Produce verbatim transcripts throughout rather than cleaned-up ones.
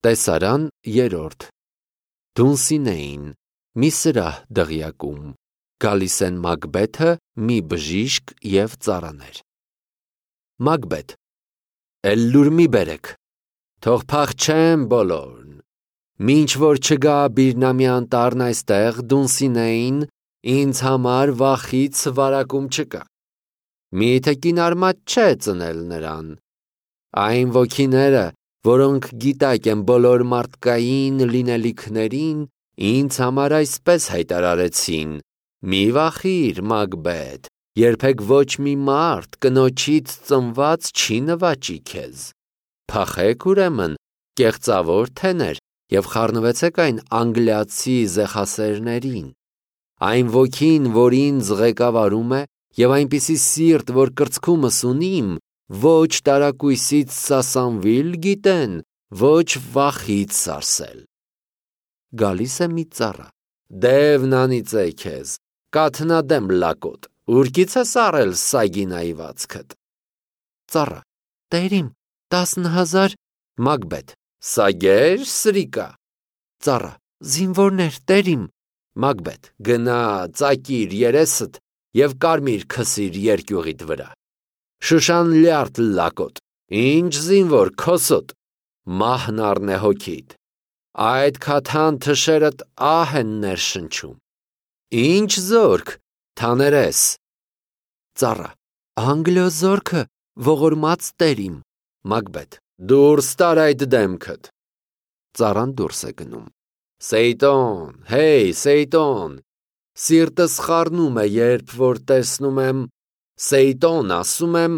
Տեսարան երրորդ Դունսինեին մի սրահ դղյակում գալիս են Մակբեթը, մի բժիշկ և ծառաներ։ Մակբեթ. Էլ լուր մի բերեք, թող փախչեն բոլորն, մինչ որ չգա Բիրնամի անտառն այստեղ Դունսինեին, ինձ համար վախից վարակում չկա։ Միթե կինարմատ չէ ծնել նրան։ Այն ոգիները, որոնք գիտակ են բոլոր մարդկային լինելիքներին, ինձ համար այսպես հայտարարեցին. մի վախիր, Մակբեթ, երբեք ոչ մի մարդ կնոջից ծնված չի նվաճի քեզ։ Փախեք ուրեմն, կեղծավոր թեներ, և խառնվեցեք այն անգլիացի զեխասերներին։ Այն ոգին, որ ինձ ղեկավարում է, և այնպիսի սիրտ, որ կրծքումս ունիմ, ոչ տարակույսից սասանվիլ գիտեն, ոչ վախից սարսել։ Գալիս է մի ծառա. Դևն անիծե քեզ, կաթնադեմ լակոտ, ուրքից ես առել սագին այվածքդ։ Ծառա. Տերիմ, տասնհազար։ Մակբեթ. Սագեր, սրիկա։ Ծառա. Զինվորներ, տերիմ։ Մակբեթ. Գնա, ծակիր երեսդ և կարմիր քսիր երկյուղիդ վրա։ Շուշան լյարդ լակոտ, ինչ զինվոր քոսոտ, մահն առնե հոգիդ։ Այդ քաթան թշերդ ահ են ներշնչում։ Ինչ զորք, թաներես։ Ծառա. Անգլիո զորքը, ողորմած տերիմ։ Մակբեթ. Դուրս տար այդ դեմքդ։ Ծառան դուրս է գնում։ Սեյտոն, հեյ, Սեյտոն, սիրտս խառնում է, երբ որ տեսնում եմ, Սեյտոն, ասում եմ,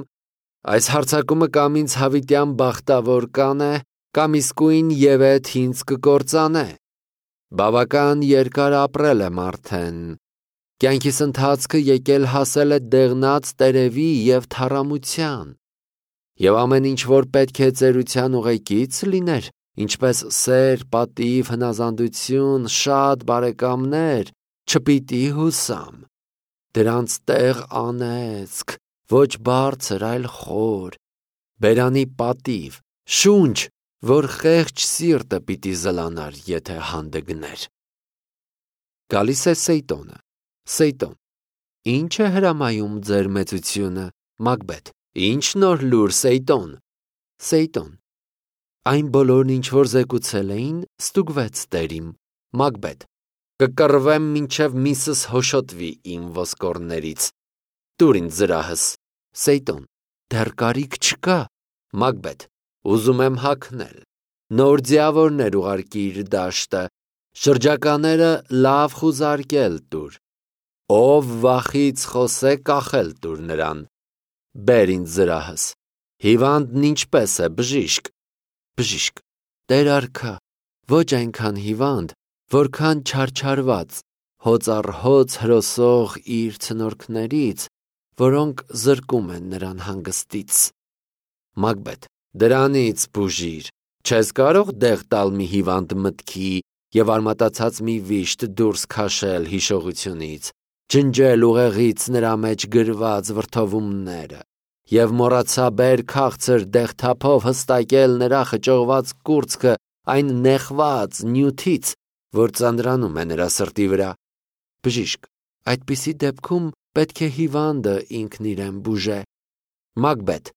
այս հարձակումը կամ ինձ հավիտյան բախտավոր կանե, կամ իսկույն ևեթ ինձ կկործանե։ Բավական երկար ապրել եմ արդեն, կյանքիս ընթացքը եկել հասել է դեղնած տերևի և թառամության, և ամեն ինչ, որ պետք է ծերության ուղեկից լիներ, ինչպես սեր, պատիվ, հնազանդություն, շատ բարեկամներ, չպիտի հուսամ։ Դրանց տեղ անեծք, ոչ բարձր, այլ խոր, բերանի պատիվ, շունչ, որ խեղճ սիրտը պիտի զլանար, եթե հանդգներ։ Գալիս է Սեյտոնը. Սեյտոն. Ինչ է հրամայում ձեր մեծությունը, Մակբեթ, ինչ նոր լուր, Սեյտոն։ Սեյտոն. Այն բոլորն, ինչ որ զեկուցել էին, ստուգվեց տերիմ։ Մակբեթ. Կկռվեմ մինչև միսս հոշոտվի իմ ոսկորներից։ Տուր ինձ զրահս։ Սեյտոն. Դեռ կարիք չկա։ Մակբեթ. Ուզում եմ հագնել։ Նոր ձիավորներ ուղարկիր դաշտը, շրջակաները լավ խուզարկել տուր։ Ով վախից խոսե, կախել տուր նրան։ Բեր ինձ զրահս։ Հիվանդն ինչպես է, բժիշկ։ Բժիշկ. Տեր արքա, ոչ այնքան հիվանդ, որքան չարչարված, հոծ առ հոծ հրոսող իր ցնորքներից, որոնք զրկում են նրան հանգստից։ Մակբեթ. Դրանից բուժիր, չես կարող դեղ տալ մի հիվանդ մտքի և արմատացած մի վիշտ դուրս քաշել հիշողությունից, ջնջել ուղեղից նրա մեջ գրված վրդովումները և մոռացաբեր քաղցր դեղթափով հստակել նրա խճողված կուրծքը այն նեղված նյութից, որ ծանրանում է նրա սրտի վրա։ Բժիշկ. Այդպիսի դեպքում պետք է հիվանդը ինքն իրեն բուժե։ Մակբեթ.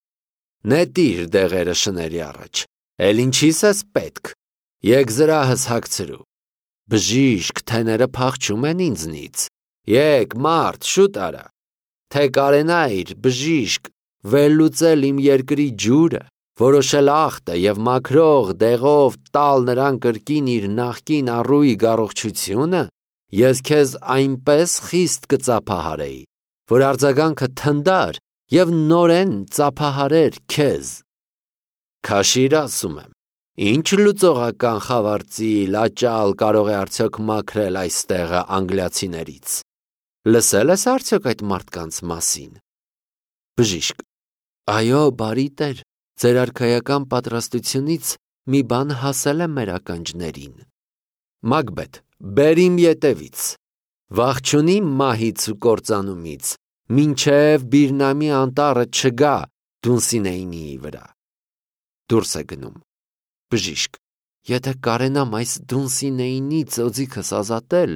Նետիր դեղերը շների առաջ, էլ ինչիս ես պետք, եկ զրահս հագցրու։ Բժիշկ, թեները փախչում են ինձնից, եկ մարդ, շուտ արա, թե կարենայիր, բժիշկ, վերլուծել իմ երկրի ջուրը, որոշել ախտը և մաքրող դեղով տալ նրան կրկին իր նախկին առուի առողջությունը, ես քեզ այնպես խիստ կծափահարեի, որ արձագանքը թնդար և նորեն ծափահարեր քեզ։ Քաշիր, ասում եմ, ինչ լուծողական խավարծի լաճալ կարող է արդյոք մաքրել այս տեղը անգլիացիներից։ Լսել ես արդյոք այդ մարդկանց մասին։ Բժիշկ. Այո, բարի տեր, ձեր արքայական պատրաստությունից մի բան հասել է մեր ականջներին։ Մակբեթ. Բեր իմ ետևից, վախ չունի մահից ու կործանումից, մինչև Բիրնամի անտառը չգա Դունսինեինի վրա։ Դուրս է գնում։ Բժիշկ. Եթե կարենամ այս Դունսինեինի ծոձիքս ազատել,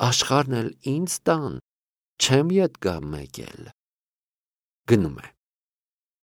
աշխարհն էլ ինձ տան, չեմ ետ գա մեկ էլ։ Գնում է։